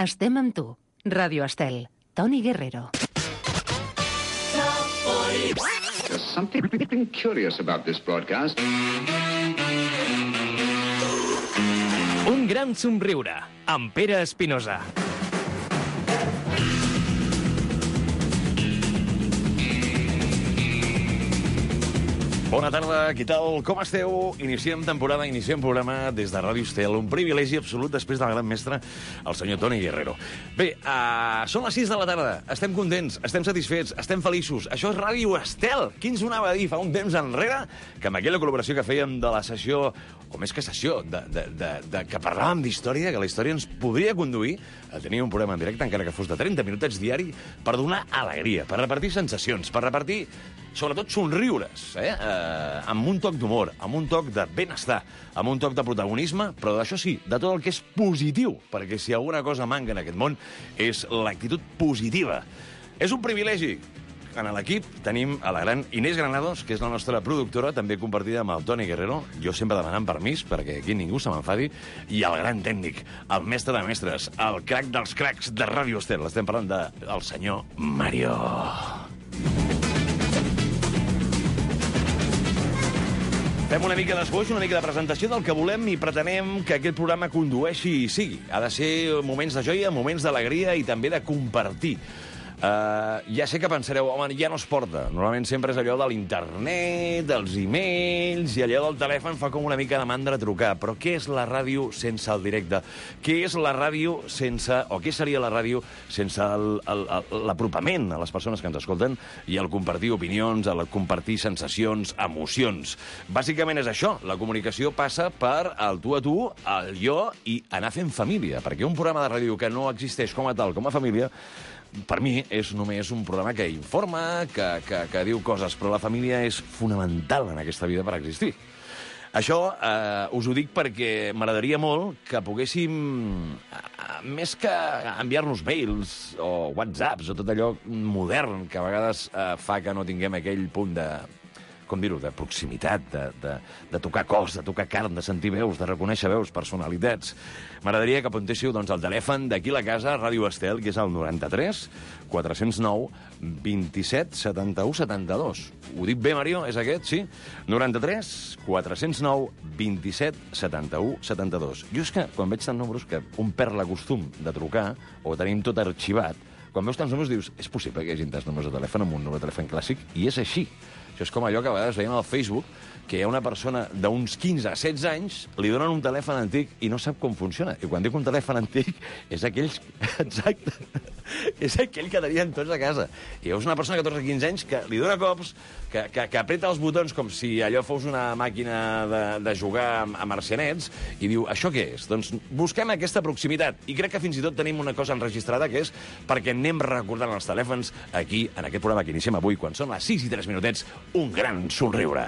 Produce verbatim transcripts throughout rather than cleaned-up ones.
Estem amb tu. Ràdio Estel. Toni Guerrero. There's something curious about this broadcast. Un gran somriure, amb Pere Espinosa. Bona tarda, què tal? Com esteu? Iniciem temporada, iniciem programa des de Ràdio Estel. Un privilegi absolut després del gran mestre, el senyor Toni Guerrero. Bé, uh, són les sis de la tarda. Estem contents, estem satisfets, estem feliços. Això és Ràdio Estel. Qui ens ho anava a dir fa un temps enrere? Que amb aquella col·laboració que fèiem de la sessió, o més que sessió, de, de, de, de, que parlàvem d'història, que la història ens podria conduir a tenir un programa en directe, encara que fos de trenta minutets diari, per donar alegria, per repartir sensacions, per repartir, sobretot, somriures, eh? eh amb un toc d'humor, amb un toc de benestar, amb un toc de protagonisme, però d'això sí, de tot el que és positiu, perquè si alguna cosa manca en aquest món és l'actitud positiva. És un privilegi. En l'equip tenim a la gran Inés Granados, que és la nostra productora, també compartida amb el Toni Guerrero, jo sempre demanant permís, perquè aquí ningú se m'enfadi, i el gran tècnic, el mestre de mestres, el crac dels cracs de Ràdio Estel. Estem parlant del senyor Mario. Fem una mica d'esboix, una mica de presentació del que volem i pretenem que aquest programa condueixi i sigui. Ha de ser moments de joia, moments d'alegria i també de compartir. Uh, ja sé que pensareu, home, ja no es porta. Normalment sempre és allò de l'internet, dels e-mails, i allò del telèfon fa com una mica de mandra trucar. Però què és la ràdio sense el directe? Què és la ràdio sense... o què seria la ràdio sense l'apropament a les persones que ens escolten i el compartir opinions, el compartir sensacions, emocions? Bàsicament és això. La comunicació passa per el tu a tu, el jo i anar fent família. Perquè un programa de ràdio que no existeix com a tal, com a família, per mi és només un programa que informa, que, que, que diu coses, però la família és fonamental en aquesta vida per existir. Això eh, us ho dic perquè m'agradaria molt que poguéssim, eh, més que enviar-nos mails o whatsapps o tot allò modern que a vegades eh, fa que no tinguem aquell punt de... com dir-ho, de proximitat, de, de, de tocar cos, de tocar carn, de sentir veus, de reconèixer veus, personalitats. M'agradaria que apuntéssiu doncs, el telèfon d'aquí a la casa, Ràdio Estel, que és el noranta-tres quatre-cents nou vint-i-set setanta-u setanta-dos. Ho dic bé, Mario? És aquest, sí? noranta-tres quatre-cents nou vint-i-set setanta-u setanta-dos. Jo és que, quan veig tants números, que un perd la costum de trucar, o tenim tot arxivat, quan veus tants números dius, és possible que hi hagi tants números de telèfon amb un número de telèfon clàssic? I és així. Això és com allò que a vegades veiem al Facebook, que hi ha una persona d'uns quinze a setze anys, li donen un telèfon antic i no sap com funciona. I quan dic un telèfon antic, és aquells... Exacte. És aquell que tenien tots a casa. I veus una persona de catorze a quinze anys que li dona cops, que, que, que apreta els botons com si allò fos una màquina de, de jugar a marcianets, i diu, això què és? Doncs busquem aquesta proximitat. I crec que fins i tot tenim una cosa enregistrada, que és perquè anem recordant els telèfons aquí, en aquest programa que iniciem avui, quan són les sis i tres minutets, un gran somriure.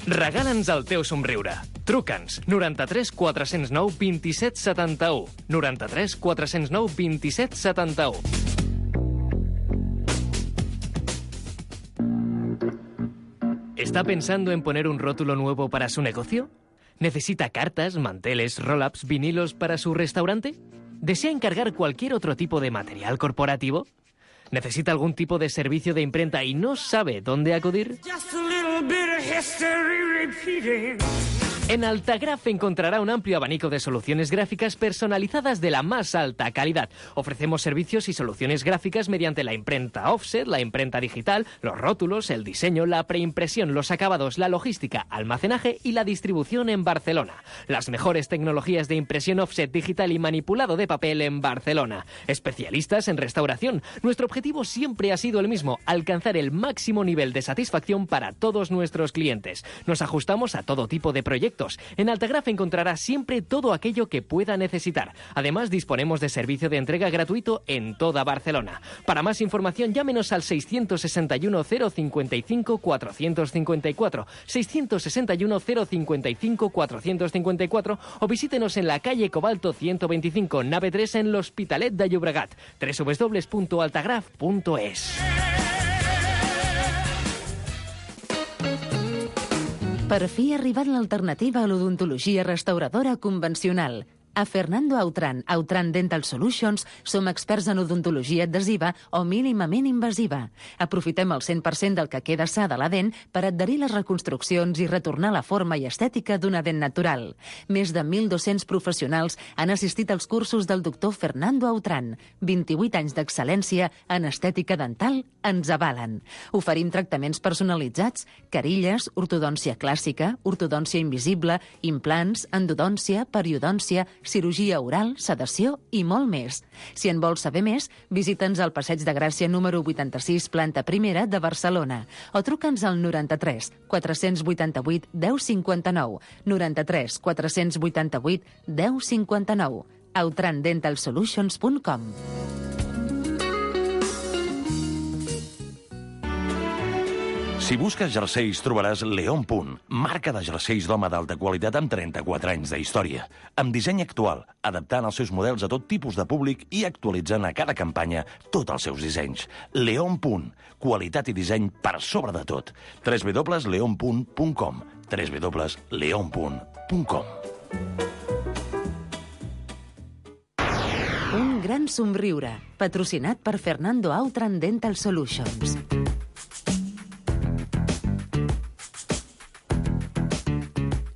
Regala'ns el teu somriure. Truca'ns noranta-tres quatre-cents nou vint-i-set setanta-u. noranta-tres quatre-cents nou vint-i-set setanta-u. ¿Está pensando en poner un rótulo nuevo para su negocio? ¿Necesita cartas, manteles, roll-ups, vinilos para su restaurante? ¿Desea encargar cualquier otro tipo de material corporativo? ¿Necesita algún tipo de servicio de imprenta y no sabe dónde acudir? En Altagraph encontrará un amplio abanico de soluciones gráficas personalizadas de la más alta calidad. Ofrecemos servicios y soluciones gráficas mediante la imprenta offset, la imprenta digital, los rótulos, el diseño, la preimpresión, los acabados, la logística, almacenaje y la distribución en Barcelona. Las mejores tecnologías de impresión offset digital y manipulado de papel en Barcelona. Especialistas en restauración. Nuestro objetivo siempre ha sido el mismo, alcanzar el máximo nivel de satisfacción para todos nuestros clientes. Nos ajustamos a todo tipo de proyectos. En Altagraph encontrará siempre todo aquello que pueda necesitar. Además, disponemos de servicio de entrega gratuito en toda Barcelona. Para más información, llámenos al seiscientos sesenta y uno cero cincuenta y cinco cuatrocientos cincuenta y cuatro, seiscientos sesenta y uno cero cincuenta y cinco cuatrocientos cincuenta y cuatro o visítenos en la calle Cobalto ciento veinticinco, nave tres en l'Hospitalet de Llobregat. doble u doble u doble u punto altagraph punto es. Per fi ha arribat l'alternativa a l'odontologia restauradora convencional. A Fernando Autran, Autran Dental Solutions, som experts en odontologia adhesiva o mínimament invasiva. Aprofitem el cent per cent del que queda sa de la dent per adherir les reconstruccions i retornar la forma i estètica d'una dent natural. Més de mil dos-cents professionals han assistit als cursos del doctor Fernando Autran. vint-i-vuit anys d'excel·lència en estètica dental ens avalen. Oferim tractaments personalitzats, carilles, ortodòncia clàssica, ortodòncia invisible, implants, endodòncia, periodòncia, cirurgia oral, sedació i molt més. Si en vols saber més, visita'ns al Passeig de Gràcia número vuitanta-sis, planta primera de Barcelona, o truca'ns al noranta-tres quatre-cents vuitanta-vuit deu cinquanta-nou, noranta-tres quatre-cents vuitanta-vuit deu cinquanta-nou, autran dental solutions punt com. Si busques jerseis, trobaràs León Punt, marca de jerseis d'home d'alta qualitat amb trenta-quatre anys d'història, amb disseny actual, adaptant els seus models a tot tipus de públic i actualitzant a cada campanya tots els seus dissenys. León Punt, qualitat i disseny per sobre de tot. w w w punt leon punt com w w w punt leon punt com. Un gran somriure, patrocinat per Fernando Autran Dental Solutions.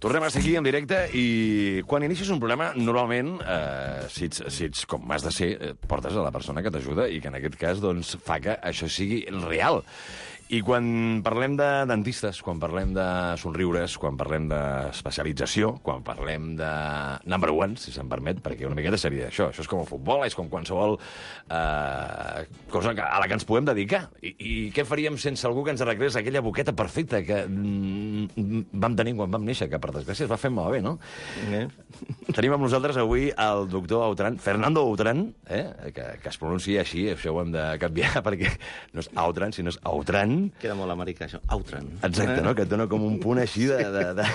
Tornem a estar aquí en directe i quan inicies un programa, normalment, eh, si, ets, si ets com has de ser, eh, portes a la persona que t'ajuda i que en aquest cas doncs, fa que això sigui real. I quan parlem de dentistes, quan parlem de somriures, quan parlem d'especialització, quan parlem de number one, si se'm permet, perquè una miqueta seria això. Això és com el futbol, és com qualsevol eh, cosa a la que ens podem dedicar. I, I què faríem sense algú que ens arreglés aquella boqueta perfecta que mm, vam tenir quan vam néixer, que per desgràcia es va fer malbé, no? Eh? Tenim amb nosaltres avui el doctor Autran, Fernando Autran, eh? que, que es pronuncia així, això ho hem de canviar, perquè no és Autran, sinó és Autran. Queda molt americà, això. Autran. Exacte, no? Que et dona com un punt així de... de, de...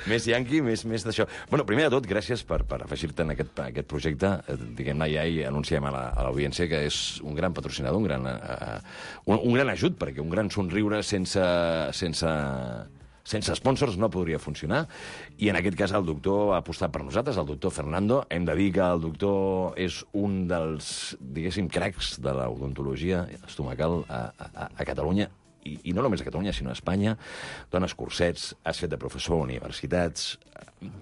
més yanqui, més, més d'això. Bueno, primer de tot, gràcies per, per afegir-te en aquest, aquest projecte. Diguem-ne, ja hi anunciem a l'audiència que és un gran patrocinador, un gran, uh, un, un gran ajut, perquè un gran somriure sense... sense sense sponsors no podria funcionar, i en aquest cas el doctor ha apostat per nosaltres, el doctor Fernando. Hem de dir que el doctor és un dels, diguéssim, cracs de l'odontologia estomacal a, a, a Catalunya, i, i no només a Catalunya, sinó a Espanya. Dones cursets, has fet de professor a universitats...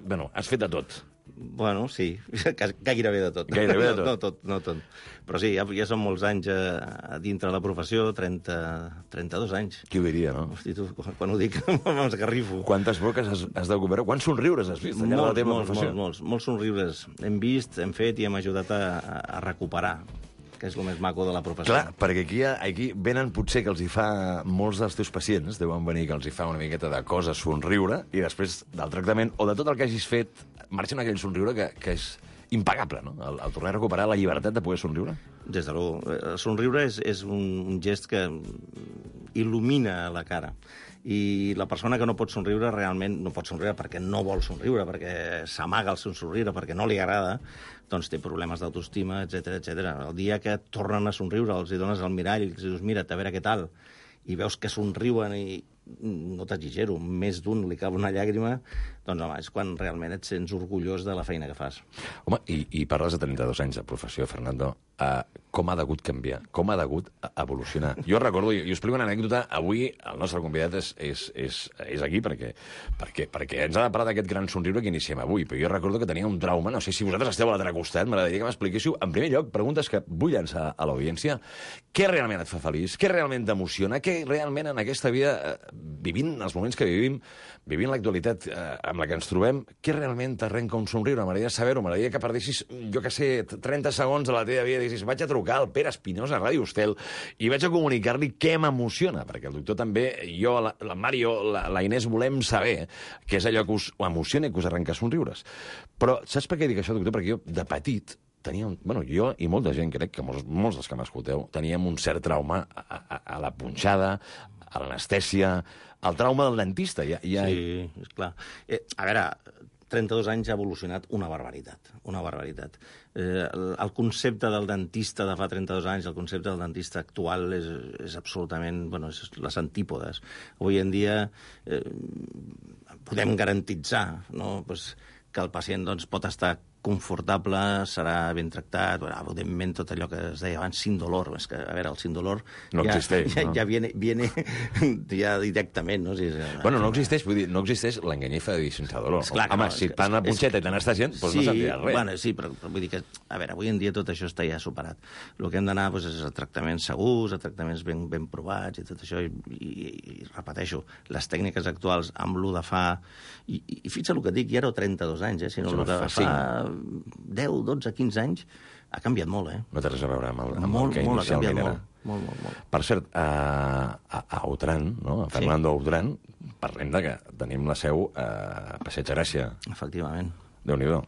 Bueno, has fet de tot. Bueno, sí, gairebé de tot. Gairebé de tot. No, no tot, no tot. Però sí, ja, ja són molts anys a, a dintre de la professió, trenta, trenta-dos anys. Qui ho diria, no? Hosti, tu, quan ho dic, m'esgarrifo. Quantes boques has, has de recuperar? Quants somriures has vist allà molts, de la teva molts, professió? Molts, molts, molts somriures hem vist, hem fet i hem ajudat a, a recuperar, que és el més maco de la professió. Clar, perquè aquí, aquí venen potser que els hi fa molts dels teus pacients, deuen venir que els hi fa una miqueta de cosa somriure, i després del tractament o de tot el que hagis fet, marxa aquell somriure que, que és impagable, no? El, el tornar a recuperar la llibertat de poder somriure. Des de l'u. El somriure és, és un, un gest que il·lumina la cara. I la persona que no pot somriure realment no pot somriure perquè no vol somriure, perquè s'amaga el seu somriure, perquè no li agrada, doncs té problemes d'autoestima, etcètera, etcètera. El dia que tornen a somriure, els hi dones el mirall i els dius, mira, a veure què tal, i veus que somriuen i no t'exigero, més d'un li cau una llàgrima, doncs home, és quan realment et sents orgullós de la feina que fas. Home, i, i parles de trenta-dos anys de professió, Fernando. Uh, com ha degut canviar? Com ha degut evolucionar? Jo recordo, i, i us explico una anècdota, avui el nostre convidat és, és, és, és aquí perquè, perquè, perquè ens ha de parlar d'aquest gran somriure que iniciem avui, però jo recordo que tenia un trauma, no sé si vosaltres esteu a l'altre costat, m'agradaria que m'expliquéssiu, en primer lloc, preguntes que vull llançar a l'audiència. Què realment et fa feliç? Què realment t'emociona? Què realment en aquesta vida, eh, vivint els moments que vivim, vivint l'actualitat eh, amb la que ens trobem, què realment t'arrenca un somriure? M'agradaria saber-ho, m'agradaria que perdessis, jo que sé, trenta segons de la teva vida i dicis, vaig a trucar al Pere Espinosa a Ràdio Estel i vaig a comunicar-li què m'emociona, perquè el doctor també, jo, la, la Mario, la, la Inés, volem saber què és allò que us emociona i que us arrenca somriures. Però saps per què dic això, doctor? Perquè jo, de petit, tenia un... Bueno, jo i molta gent, crec que molts, molts dels que m'escolteu, teníem un cert trauma a, a, a la punxada, a l'anestèsia, al trauma del dentista. Ja, ja... Sí, és clar. Eh, a veure, trenta-dos anys ha evolucionat una barbaritat, una barbaritat. Eh, el, el concepte del dentista de fa trenta-dos anys, el concepte del dentista actual és, és absolutament, bueno, és les antípodes. Avui en dia eh, podem garantitzar, no?, pues, que el pacient doncs, pot estar confortable, serà ben tractat, bueno, evidentment tot allò que es deia abans, sin dolor, és que, a veure, el sin dolor no ja, existeix, ja, no? ja viene, viene ja directament, no? Si és, bueno, no existeix, vull dir, no existeix l'enganyifa de dir sense dolor. Esclar, Home, no, si és, et fan la punxeta i te n'estàs gent, doncs sí, no sentiràs res. Bueno, sí, però, però vull dir que, a veure, avui en dia tot això està ja superat. El que hem d'anar doncs, és a tractaments segurs, a tractaments ben, ben provats i tot això, i, i, i repeteixo, les tècniques actuals amb l'u de fa... I, i, i fixa't el que et dic, ja era trenta-dos anys, eh? Si no, el de fa deu, dotze, quinze anys, ha canviat molt, eh? No té res a veure amb el, amb molt, el que molt, inicialment era. Molt, molt, molt, molt. Per cert, a, a, a Autran, no? a Fernando sí. Autran, parlem de que tenim la seu a Passeig Gràcia. Efectivament. Déu-n'hi-do.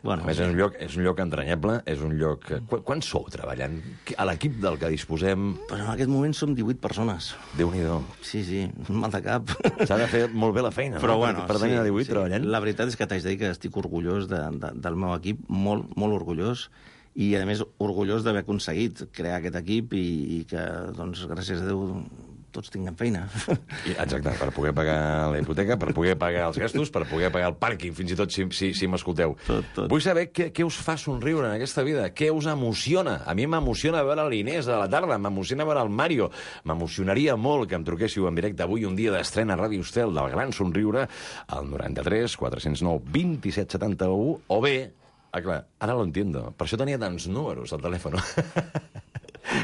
Bueno, a més, sí. és un lloc, és un lloc entranyable, és un lloc... Qu Quan sou treballant? A l'equip del que disposem... Pues en aquest moment som divuit persones. Déu-n'hi-do. Sí, sí, un mal de cap. S'ha de fer molt bé la feina, però, no? Bueno, per, per tenir sí, a divuit sí. treballant. La veritat és que t'haig de dir que estic orgullós de, de, del meu equip, molt, molt orgullós, i, a més, orgullós d'haver aconseguit crear aquest equip i, i que, doncs, gràcies a Déu, tots tinguem feina. I, exacte, per poder pagar la hipoteca, per poder pagar els gastos, per poder pagar el pàrquing, fins i tot si, si, si m'escolteu. Tot, tot. Vull saber què, què us fa somriure en aquesta vida, què us emociona. A mi m'emociona veure l'Inés a la tarda, m'emociona veure el Mario. M'emocionaria molt que em truquéssiu en directe avui, un dia d'estrena a Ràdio Estel del Gran Somriure, al noranta-tres quatre cents nou vint-i-set setanta-u, o bé... Ah, clar, ara lo entiendo. Per això tenia tants números al telèfon.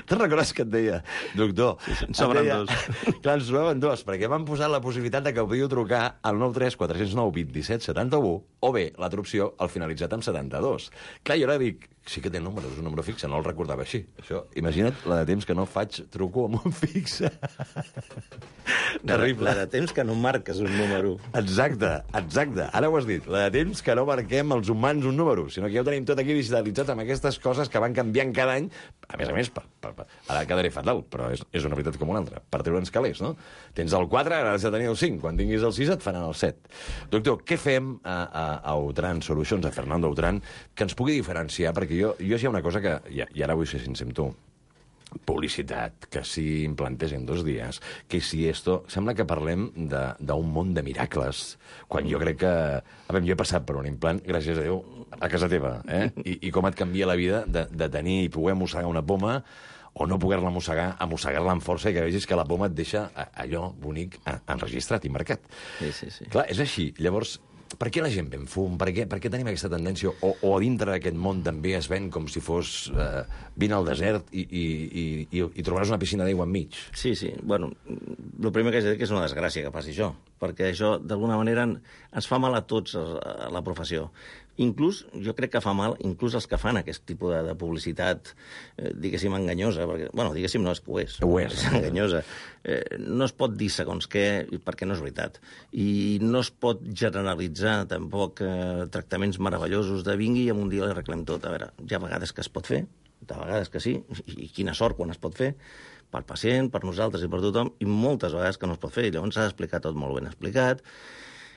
Te'n recordes que et deia, doctor... Sí, sí, en sobren deia, dos. Clar, en sobraven dos, perquè m'han posat la possibilitat de que podíeu trucar al nou tres quatre cents nou vint-i-set setanta-u, o bé, l'altra opció, al finalitzat amb setanta-dos. Clar, jo ara dic, sí que té números, un número fixe, no el recordava així. Això, imagina't la de temps que no faig, truco amb un fixe. Terrible. La de temps que no marques un número. Exacte, exacte. Ara ho has dit. La de temps que no marquem els humans un número, sinó que ja ho tenim tot aquí digitalitzat amb aquestes coses que van canviant cada any. A més a més, per, per, per, ara quedaré fatal, però és, és una veritat com una altra. Per treure'ns calés, no? Tens el quatre, ara has de tenir el cinc. Quan tinguis el sis et faran el set. Doctor, què fem a, a, a Autran Solutions, a Fernando Autran, que ens pugui diferenciar? Perquè jo, jo hi ha una cosa que, i, i ara vull ser sincer amb tu, publicitat, que si implantés en dos dies, que si esto... Sembla que parlem d'un món de miracles, quan jo crec que... A veure, jo he passat per un implant, gràcies a Déu, a casa teva, eh? I, i com et canvia la vida de, de tenir i poder mossegar una poma o no poder-la mossegar, a mossegar-la amb força i que vegis que la poma et deixa allò bonic enregistrat i marcat. Sí, sí, sí. Clar, és així. Llavors, per què la gent ven fum? Per què, per què tenim aquesta tendència? O, o a dintre d'aquest món també es ven com si fos... Eh, vine al desert i, i, i, i, i trobaràs una piscina d'aigua enmig. Sí, sí. Bueno, el primer que haig de dir que és una desgràcia que passi això, perquè això, d'alguna manera, ens fa mal a tots a la professió. Inclús, jo crec que fa mal, inclús els que fan aquest tipus de, de publicitat, eh, diguéssim, enganyosa, perquè, bueno, diguéssim, no, és que ho és. Ho és. És enganyosa. Eh, no es pot dir segons què, perquè no és veritat. I no es pot generalitzar, tampoc, eh, tractaments meravellosos de vingui i en un dia l'arreglem tot. A veure, hi ha vegades que es pot fer, de vegades que sí, i, i quina sort quan es pot fer, pel pacient, per nosaltres i per tothom, i moltes vegades que no es pot fer, i llavors s'ha d'explicar tot molt ben explicat,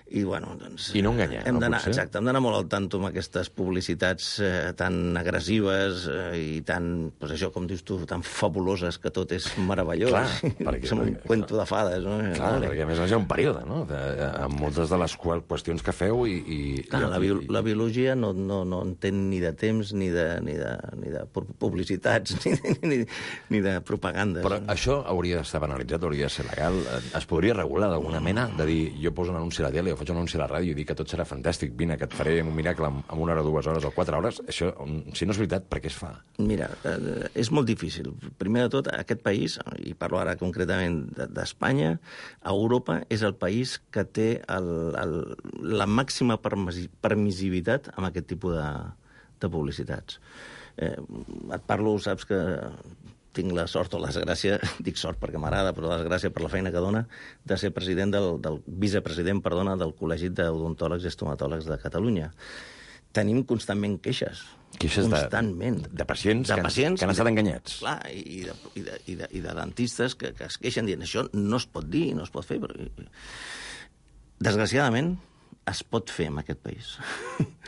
i, bueno, doncs... I no enganyar, hem no, d'anar, potser? exacte, hem d'anar molt al tanto amb aquestes publicitats eh, tan agressives eh, i tan, doncs això, com dius tu, tan fabuloses, que tot és meravellós. Clar, perquè... Som un cuento de fades, no? Clar, vale. Perquè a més hi ha un període, no?, de, amb moltes de les qüestions que feu i... i Clar, i, la, bio, la biologia no, no, no entén ni de temps, ni de, ni de, ni de publicitats, ni, ni, ni de propagandes. Però això hauria d'estar banalitzat, hauria de ser legal. Es podria regular d'alguna mena, de dir, jo poso un anunci a la tele, jo faig un anunci a la ràdio i dic que tot serà fantàstic, vine, que et faré un miracle en, en una hora, dues hores o quatre hores, això, si no és veritat, per què es fa? Mira, eh, és molt difícil. Primer de tot, aquest país, i parlo ara concretament d'Espanya, Europa és el país que té el, el, la màxima permissivitat amb aquest tipus de, de publicitats. Eh, et parlo, saps que tinc la sort o la desgràcia, dic sort perquè m'agrada, però la desgràcia per la feina que dona, de ser president del, del vicepresident, perdona, del Col·legi d'Odontòlegs i Estomatòlegs de Catalunya. Tenim constantment queixes. Queixes constantment. De, de pacients, de que, pacients que han estat enganyats. Clar, i de, i de, i de, i de dentistes que, que es queixen dient això no es pot dir, no es pot fer. Però... Desgraciadament, es pot fer en aquest país.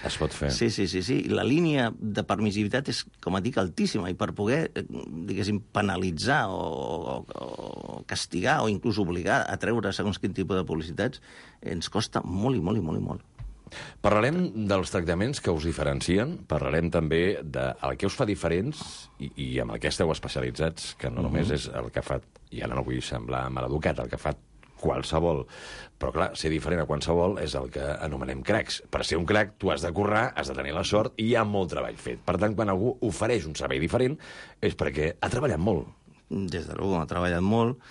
Es pot fer. Sí, sí, sí, sí. La línia de permissivitat és, com et dic, altíssima, i per poder, diguéssim, penalitzar o, o, o castigar o inclús obligar a treure segons quin tipus de publicitats ens costa molt i molt i molt i molt. Parlarem dels tractaments que us diferencien, parlarem també del que us fa diferents i, i amb el que esteu especialitzats, que no només és el que fa, i ara no vull semblar maleducat, el que fa qualsevol, però clar, ser diferent a qualsevol és el que anomenem cracs. Per ser un crac, tu has de currar, has de tenir la sort i hi ha molt treball fet. Per tant, quan algú ofereix un servei diferent és perquè ha treballat molt. Des de luego, ha treballat molt,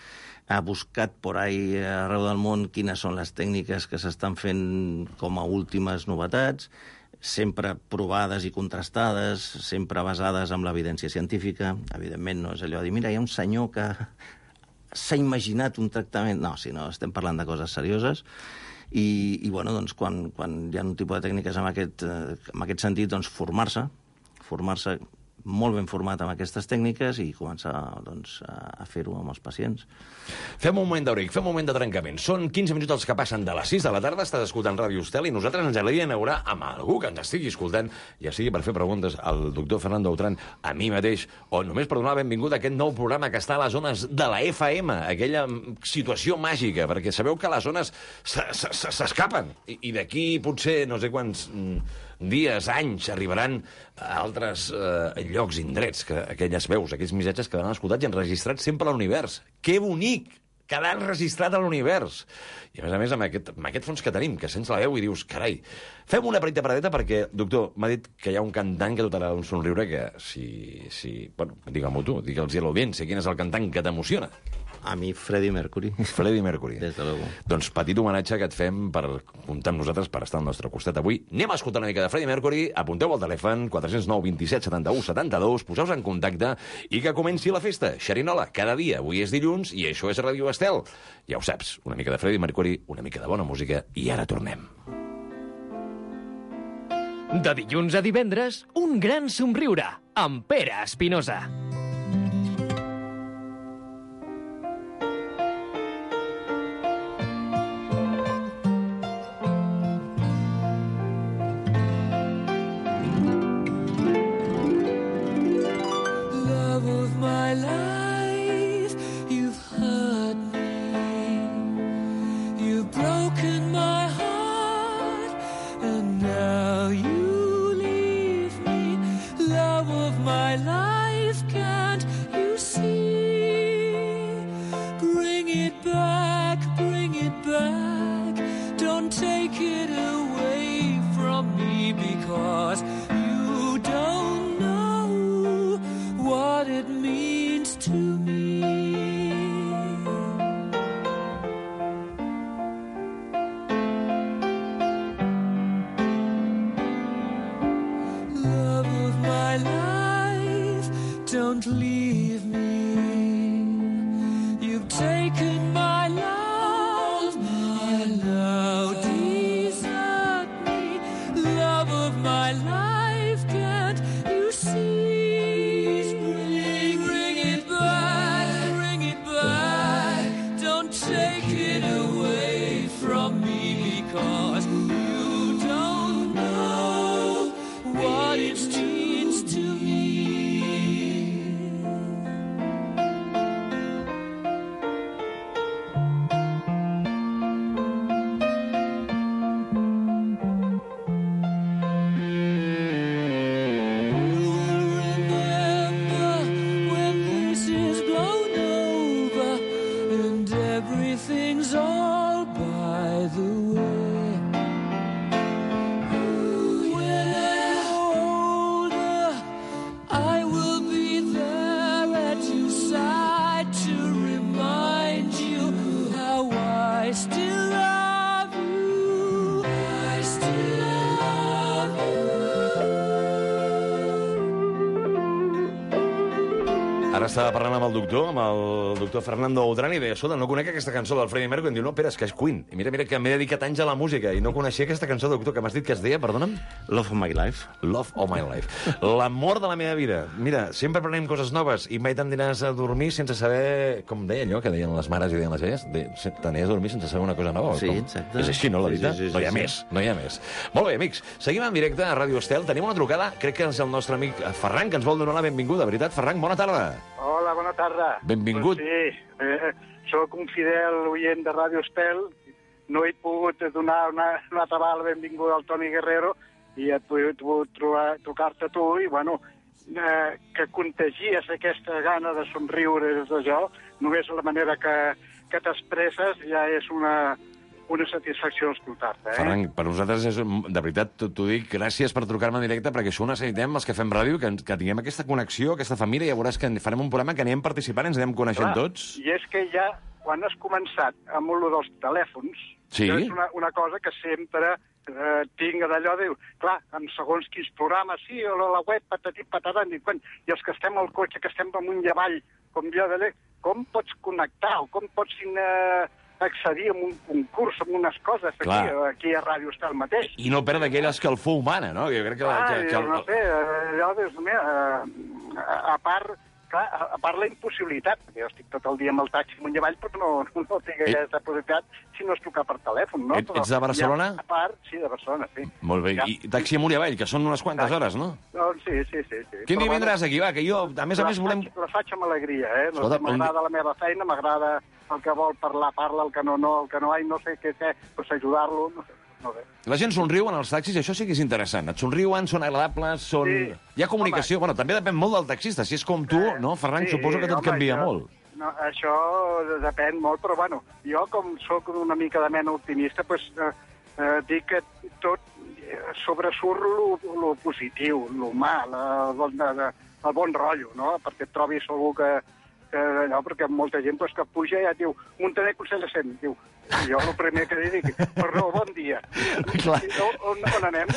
ha buscat por ahí arreu del món quines són les tècniques que s'estan fent com a últimes novetats, sempre provades i contrastades, sempre basades en l'evidència científica. Evidentment, no és allò de dir, mira, hi ha un senyor que s'ha imaginat un tractament... No, si no, estem parlant de coses serioses. I, i bueno, doncs, quan, quan hi ha un tipus de tècniques en aquest, en aquest sentit, doncs, formar-se, formar-se molt ben format amb aquestes tècniques i començar doncs, a fer-ho amb els pacients. Fem un moment d'auric, fem un moment de trencament. Són quinze minuts els que passen de les sis de la tarda, estàs escoltant Ràdio Estel i nosaltres ens agradaria inaugurar amb algú que ens estigui escoltant, ja sigui per fer preguntes al doctor Fernando Autran, a mi mateix, o només per donar la benvinguda a aquest nou programa que està a les zones de la F M, aquella situació màgica, perquè sabeu que les zones s'escapen i, i d'aquí potser no sé quants dies, anys, arribaran a altres eh, llocs, indrets, que aquelles veus, aquells missatges quedaran escoltats i enregistrats sempre a l'univers. Que bonic! Quedar enregistrat a l'univers. I, a més a més, amb aquest, amb aquest fons que tenim, que sents la veu i dius, carai, fem una petita paradeta perquè, doctor, m'ha dit que hi ha un cantant que dotarà d'un somriure que, si... si bueno, digue-m'ho tu, digue'ls a l'audiència, quin és el cantant que t'emociona? A mi, Freddie Mercury. Freddie Mercury. Des de luego. Doncs petit homenatge que et fem per comptar amb nosaltres, per estar al nostre costat avui. Anem a escoltar una mica de Freddie Mercury, apunteu al telèfon quatre zero nou vint set setanta-u setanta-dos, poseu-vos en contacte i que comenci la festa. Xerinola, cada dia. Avui és dilluns i això és Ràdio Estel. Ja ho saps, una mica de Freddie Mercury, una mica de bona música i ara tornem. De dilluns a divendres, un gran somriure amb Pere Espinosa. Don't leave me. You've taken my love, my love. Desert me, love of my life. Can't you see? Bring, bring it back, bring it back. Don't take it away from me because you don't know what it means to me. Ara estava parlant amb el doctor, amb el doctor Fernando Autran, i deia, escolta, no conec aquesta cançó del Freddie Mercury. I em diu, no, espera, és que és Queen. I mira, mira, que m'he dedicat anys a la música i no coneixia aquesta cançó, doctor, que m'has dit que es deia, perdona'm? Love of my life. Love of my life. L'amor de la meva vida. Mira, sempre aprenem coses noves i mai t'aniràs a dormir sense saber, com deia allò que deien les mares i deien les velles, de, t'aniries a dormir sense saber una cosa nova. Sí, com? exacte. És així, no, la vida? Sí, sí, sí, no hi ha sí, més, sí. no hi ha més. Molt bé, amics, seguim en directe a Ràdio Estel. Tenim una trucada, crec que és el nostre amic Ferran, que ens vol donar la benvinguda. Veritat, Ferran, bona tarda. Hola, bona tarda. Benvingut. Pues sí, eh, soc un fidel oient de Ràdio Estel. No he pogut donar una, una altra vegada la benvinguda al Toni Guerrero i he pogut trucar-te a tu i, bueno, eh, que contagies aquesta gana de somriure des de jo, només la manera que, que t'expresses ja és una, una satisfacció escoltar-te. Eh? Ferran, per nosaltres, és, de veritat, t'ho dic, gràcies per trucar-me en directe, perquè això ho necessitem, els que fem ràdio, que, que tinguem aquesta connexió, aquesta família, i ja veuràs que farem un programa que anem participant, ens anem coneixent Clar, tots. I és que ja, quan has començat amb lo dels telèfons, sí? és una, una cosa que sempre eh, tinc d'allò, diu, clar, en segons quins programes, sí, o la web, patatit, patatant, i, quan, i els que estem al cotxe, que estem amunt i avall, com jo d'allà, com pots connectar, o com pots eh, accedir a un concurs, a unes coses, aquí, aquí a Ràdio Estel mateix. I no perdre aquella escalfor humana, no? Jo crec que... Ah, que, que... no sé, allò, Déu meu, a, a part... Clar, a part la impossibilitat, perquè jo estic tot el dia amb el taxi amunt i avall, però no, no tinc aquesta possibilitat si no es trucar per telèfon, no? Et, ets de Barcelona? Ja, a part, sí, de Barcelona, sí. Molt bé, ja. I taxi amunt i avall, que són unes quantes Taxi. hores, no? No, sí, sí, sí. sí. Quin dia Però, vindràs aquí, va, que jo, a més a més, volem... La faig amb alegria, eh? No, Escolta, m'agrada la meva feina, m'agrada el que vol parlar, parla, el que no, no, el que no, ai, no sé què fer, doncs ajudar-lo, no sé. La gent somriu en els taxis, i això sí que és interessant. Et somriuen, són agradables, són... Sí. Hi ha comunicació. Home. Bueno, també depèn molt del taxista. Si és com tu, Eh, no, Ferran, sí, suposo que tot home, canvia això, molt. No, això depèn molt, però bueno, jo com sóc una mica de mena optimista, pues, eh, eh, dic que tot eh, sobresurt lo, lo positiu, l'humà, el, bon, de, el bon rotllo, no? Perquè et trobis algú que, que allò, perquè molta gent pues, que puja i ja et diu, Montaner Consell de Cent, diu, i jo el primer que li dic, perdó, bon dia. Clar. On, on, on anem?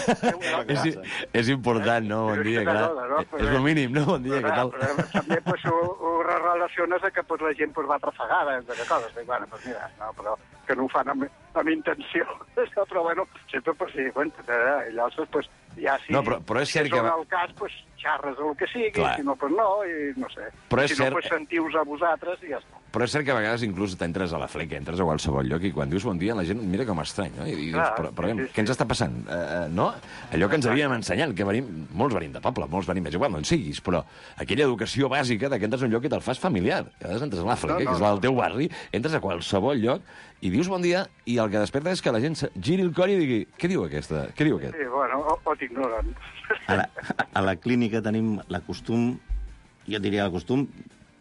És, és important, no? Bon dia, clar. No? És el mínim, no? Bon dia, què tal? Però també pues, ho, ho relaciones a que pues, la gent pues, va trafegada, de coses. Dic, bueno, pues, mira, no, però que no ho fan amb, amb intenció. Però bueno, sempre pues, sí, bueno, eh, llavors pues, ja sí. No, però, però és cert si que... és el cas, pues, xarres el que sigui, Clar. si no, pues no, i no sé. Però és si no, cert- pues, sentiu-vos a vosaltres i ja està. Però és cert que a vegades inclús t'entres a la fleca, entres a qualsevol lloc i quan dius bon dia la gent mira com estrany, no? I dius, Clar, però, però sí, sí, què ens està passant? Uh, no? Allò que ens havíem ensenyat, que venim, molts venim de poble, molts venim, és igual, no en siguis, però aquella educació bàsica de que entres a un lloc i te'l fas familiar. A vegades entres a la fleca, No, no, que és la del teu barri, entres a qualsevol lloc i dius bon dia i el que desperta és que la gent se giri el cor i digui què diu aquesta? Què diu aquest? Sí, bueno, o, o t'ignoren. A la, a la clínica tenim la costum, jo diria el costum,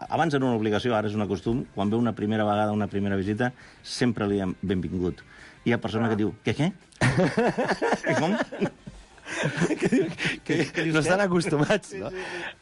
abans era una obligació, ara és una costum, quan ve una primera vegada, una primera visita, sempre li diem benvingut. Hi ha persona ah. que diu, què, què? Què, com? que, que no estan acostumats, no?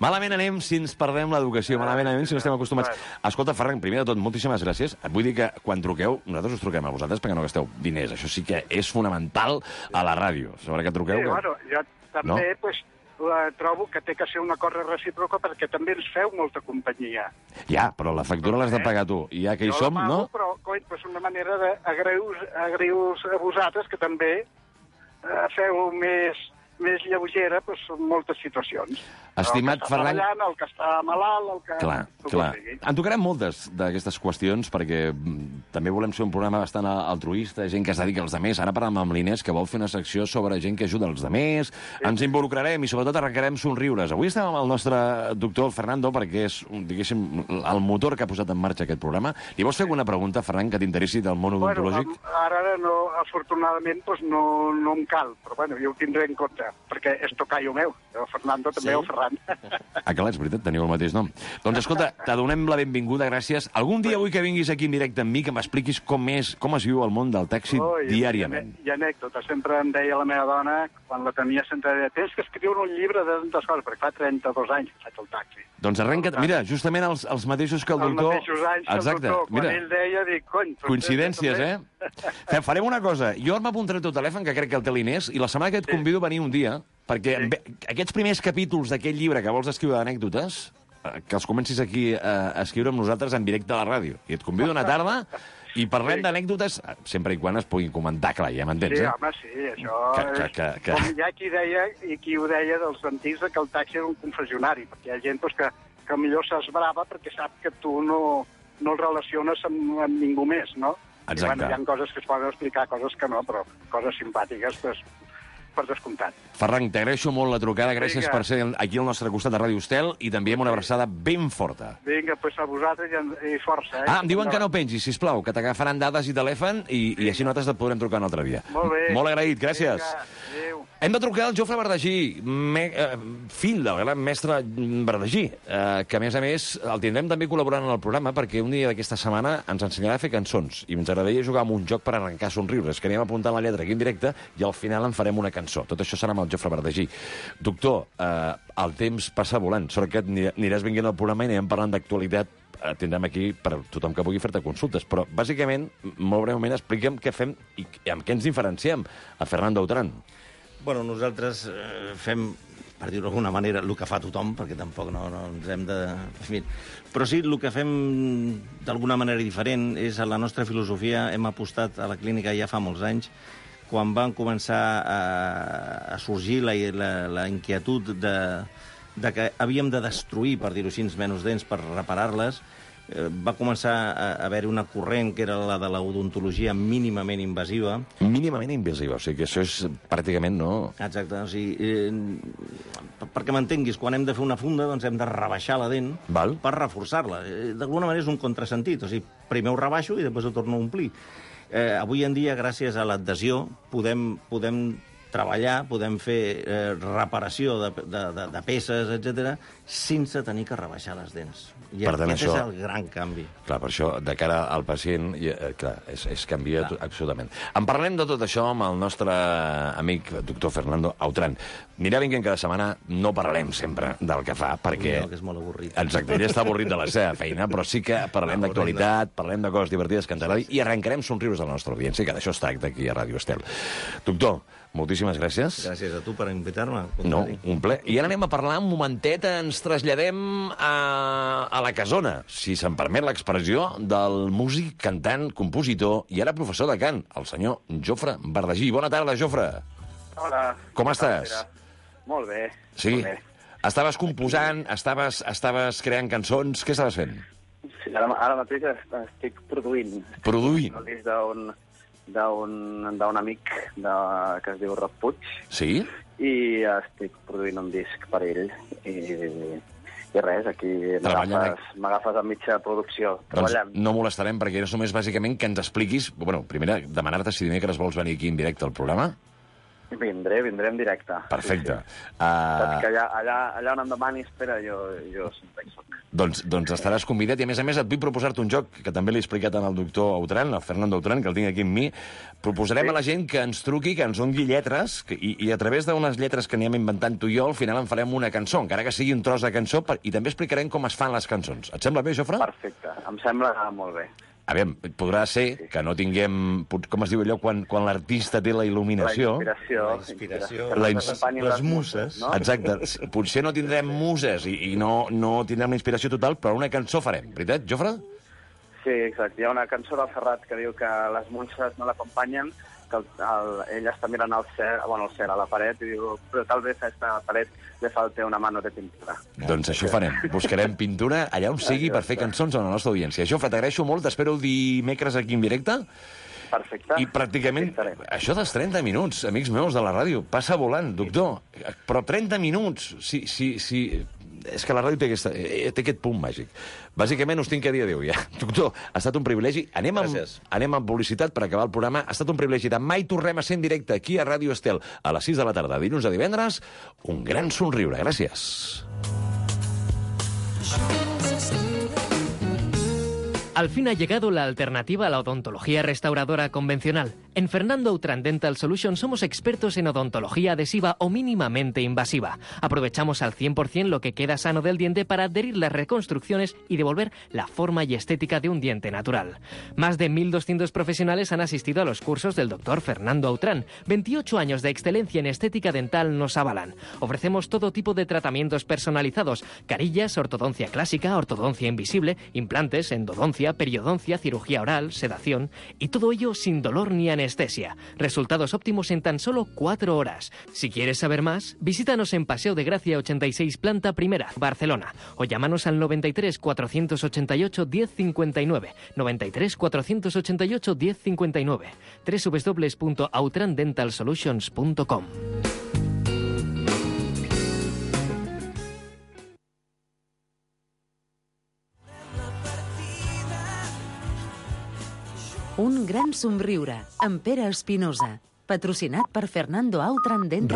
Malament anem si ens perdem l'educació, malament anem si no estem acostumats. Escolta, Ferran, primer de tot, moltíssimes gràcies. Et vull dir que quan truqueu, nosaltres us truquem a vosaltres perquè no gasteu diners. Això sí que és fonamental a la ràdio. Sobre que truqueu... Sí, que... bueno, jo també, No? pues, la trobo que té que ser una cosa recíproca perquè també ens feu molta companyia. Ja, però la factura l'has de pagar tu. I ja que hi Jo som, la pago, no? Però, coi, pues una manera d'agrair-vos a vosaltres que també eh, feu més, més lleugera pues, moltes situacions. Estimat el que està Ferran- treballant, el que està malalt, el que... Clar, el que clar. sigui. En tocarem moltes d'aquestes qüestions perquè mm, també volem ser un programa bastant altruista, gent que es dedica als demés. Ara parlem amb l'Inés, que vol fer una secció sobre gent que ajuda els demés. Ens involucrarem i sobretot arrencarem somriures. Avui estem amb el nostre doctor Fernando perquè és, diguéssim, el motor que ha posat en marxa aquest programa. Li vols fer alguna pregunta, Ferran, que t'interessi del món odontològic? Bueno, ara no, afortunadament pues, no, no em cal, però bueno, jo ho tindré en compte, perquè és tocayo meu. Jo, Fernando, també, Sí? o Ferran. Ah, clar, és veritat, teniu el mateix nom. Doncs escolta, te donem la benvinguda, gràcies. Algun dia vull que vinguis aquí en directe amb mi, que m'expliquis com és, com es viu el món del taxi Oh, i- diàriament. I, i anècdota. Sempre em deia la meva dona, quan la tenia, sempre deia, tens que escriure un llibre de tantes coses, perquè fa trenta-dos anys que faig el taxi. Doncs arrenca't, mira, justament els, els mateixos que el Els doctor... mateixos anys que el Exacte, doctor. Quan mira. ell deia, dic, cony... doncs Coincidències, també- eh? Fe- Farem una cosa. Jo m'apuntaré el teu telèfon, que crec que el té l'Inés, i la setmana que et convido a venir un dia, perquè sí. aquests primers capítols d'aquest llibre que vols escriure d'anècdotes, que els comencis aquí a, a escriure amb nosaltres en directe a la ràdio. I et convido una tarda i parlem Sí. d'anècdotes, sempre i quan es puguin comentar, clar, ja m'entens, Sí, eh? home, sí, això Que- és... que- que- que- Com hi ha qui deia, i qui ho deia dels antics, que el taxi era un confessionari, perquè hi ha gent doncs, que, que millor s'esbrava perquè sap que tu no, no el relaciones amb, amb ningú més, no? Exacte. I, bueno, hi ha coses que es poden explicar, coses que no, però coses simpàtiques, doncs, per descomptat. Ferran, t'agraeixo molt la trucada, gràcies Vinga. per ser aquí al nostre costat de Ràdio Estel i també amb una abraçada ben forta. Vinga, doncs a vosaltres i, i força, eh? Ah, em diuen que no pengis, sisplau, que t'agafaran dades i telèfon i, i així nosaltres et podrem trucar un altre dia. Molt bé. Molt agraït, gràcies. Vinga, adéu. Hem de trucar al Jofre Bardagí, me, eh, fill del gran mestre Bardagí, eh, que a més a més el tindrem també col·laborant en el programa perquè un dia d'aquesta setmana ens ensenyarà a fer cançons i ens agradaria jugar amb un joc per arrencar somriures, que anem apuntant la lletra aquí en directe i al final en farem una cançó. Tot això serà amb el Jofre Bardagí. Doctor, eh, el temps passa volant, sort que aniràs venint al programa i anirem parlant d'actualitat. Eh, tindrem aquí per tothom que pugui fer-te consultes, però bàsicament, molt breument, explica'm què fem i amb què ens diferenciem a Fernando Autran. Bueno, nosaltres eh, fem, per dir-ho d'alguna manera, el que fa tothom, perquè tampoc no, no ens hem de... En fi. Però sí, el que fem d'alguna manera diferent és a la nostra filosofia. Hem apostat a la clínica ja fa molts anys, quan van començar a, a sorgir la, la, la inquietud de, de que havíem de destruir, per dir-ho així, menys dents per reparar-les, eh, va començar a haver una corrent que era la de l'odontologia mínimament invasiva. Mínimament invasiva, o sigui que això és pràcticament no... Exacte, o sigui, eh, perquè m'entenguis, quan hem de fer una funda doncs hem de rebaixar la dent Val. per reforçar-la. Eh, D'alguna manera és un contrasentit, o sigui, primer ho rebaixo i després ho torno a omplir. Eh, avui en dia, gràcies a l'adhesió, podem, podem treballar, podem fer eh, reparació de, de, de, de peces, etcètera, sense tenir que rebaixar les dents. I Per tant, aquest això- és el gran canvi. Clar, per això, de cara al pacient, i, eh, clar, és, és canvia Clar. absolutament. En parlem de tot això amb el nostre amic doctor Fernando Autran. Anirà vinguent cada setmana, no parlarem sempre del que fa, perquè... No, que és molt avorrit. Exacte, ell està avorrit de la seva feina, però sí que parlem No, d'actualitat, parlem de coses divertides que ens agradi i arrencarem somriures a la nostra audiència, que d'això es tracta aquí a Ràdio Estel. Doctor, moltíssimes gràcies. Gràcies a tu per invitar-me. No, un ple. I ara anem a parlar un momentet, ens traslladem a, a la casona, si se'm permet l'expressió, del músic, cantant, compositor i ara professor de cant, el senyor Jofre Bardagí. Bona tarda, Jofre. Hola. Com estàs? Molt bé. Sí? Molt bé. Estaves composant, estaves, estaves creant cançons, què estaves fent? Sí, ara, ara mateix est- estic produint. Produint. El disc d'un d'un d'un amic de, que es diu Roc Puig Sí? i estic produint un disc per ell i, i res, aquí Treballant m'agafes m'agafes a mitja producció, Doncs treballant. no molestarem, perquè és només bàsicament que ens expliquis... Bueno, primer, demanar-te si dimecres vols venir aquí en directe al programa. Vindré, vindré en directe. Perfecte. Sí, sí. Saps Uh, que allà, allà, allà on em demani, espera, jo, jo sempre hi soc. doncs, doncs estaràs convidat i, a més a més, et vull proposar-te un joc que també l'he explicat al doctor Autran, al Fernando Autran, que el tinc aquí amb mi. Proposarem Sí. a la gent que ens truqui, que ens doni lletres, que, i, i a través d'unes lletres que anem inventant tu i jo, al final en farem una cançó, encara que sigui un tros de cançó, per, i també explicarem com es fan les cançons. Et sembla bé, Jofre? Perfecte, em sembla molt bé. A veure, podrà ser que no tinguem, pot- com es diu allò, quan, quan l'artista té la il·luminació... La inspiració. La inspiració, que la ens ins- acompanyin les muses. No? Exacte. Potser no tindrem muses i, i no, no tindrem la inspiració total, però una cançó farem. Veritat, Jofre? Sí, exacte. Hi ha una cançó del Ferrat que diu que les muses no l'acompanyen, que el, el, ell està mirant al cel, bueno, al cel, a la paret, i diu, però tal vez a esta paret le falte una mano de pintura. Doncs això farem. Buscarem pintura allà on sigui per fer cançons a la nostra audiència. Jofre, t'agraeixo molt. T'espero dimecres aquí en directe. Perfecte. I pràcticament, Aquí estarem. això dels trenta minuts, amics meus de la ràdio, passa volant, doctor. Però trenta minuts, si, si, si... És que la ràdio té, aquesta, eh, té aquest punt màgic. Bàsicament us tinc que dir adéu ja. Doctor, ha estat un privilegi. Anem amb, Gràcies. anem amb publicitat per acabar el programa. Ha estat un privilegi. Demà hi tornem a ser en directe aquí a Ràdio Estel a les sis de la tarda, dilluns a divendres. Un gran somriure. Gràcies. Al fin ha llegado la alternativa a la odontología restauradora convencional. En Fernando Autran Dental Solutions somos expertos en odontología adhesiva o mínimamente invasiva. Aprovechamos al cien por cien lo que queda sano del diente para adherir las reconstrucciones y devolver la forma y estética de un diente natural. Más de mil doscientos profesionales han asistido a los cursos del doctor Fernando Autran. veintiocho años de excelencia en estética dental nos avalan. Ofrecemos todo tipo de tratamientos personalizados: carillas, ortodoncia clásica, ortodoncia invisible, implantes, endodoncia, periodoncia, cirugía oral, sedación, y todo ello sin dolor ni anestesia. Resultados óptimos en tan solo cuatro horas. Si quieres saber más, visítanos en Paseo de Gracia ochenta y seis, planta primera, Barcelona, o llámanos al noventa y tres, cuatrocientos ochenta y ocho, diez cincuenta y nueve, noventa y tres, cuatrocientos ochenta y ocho, diez cincuenta y nueve, doble u doble u doble u punto autran dental solutions punto com. Un gran somriure, amb Pere Espinosa, patrocinat per Fernando Autran Dental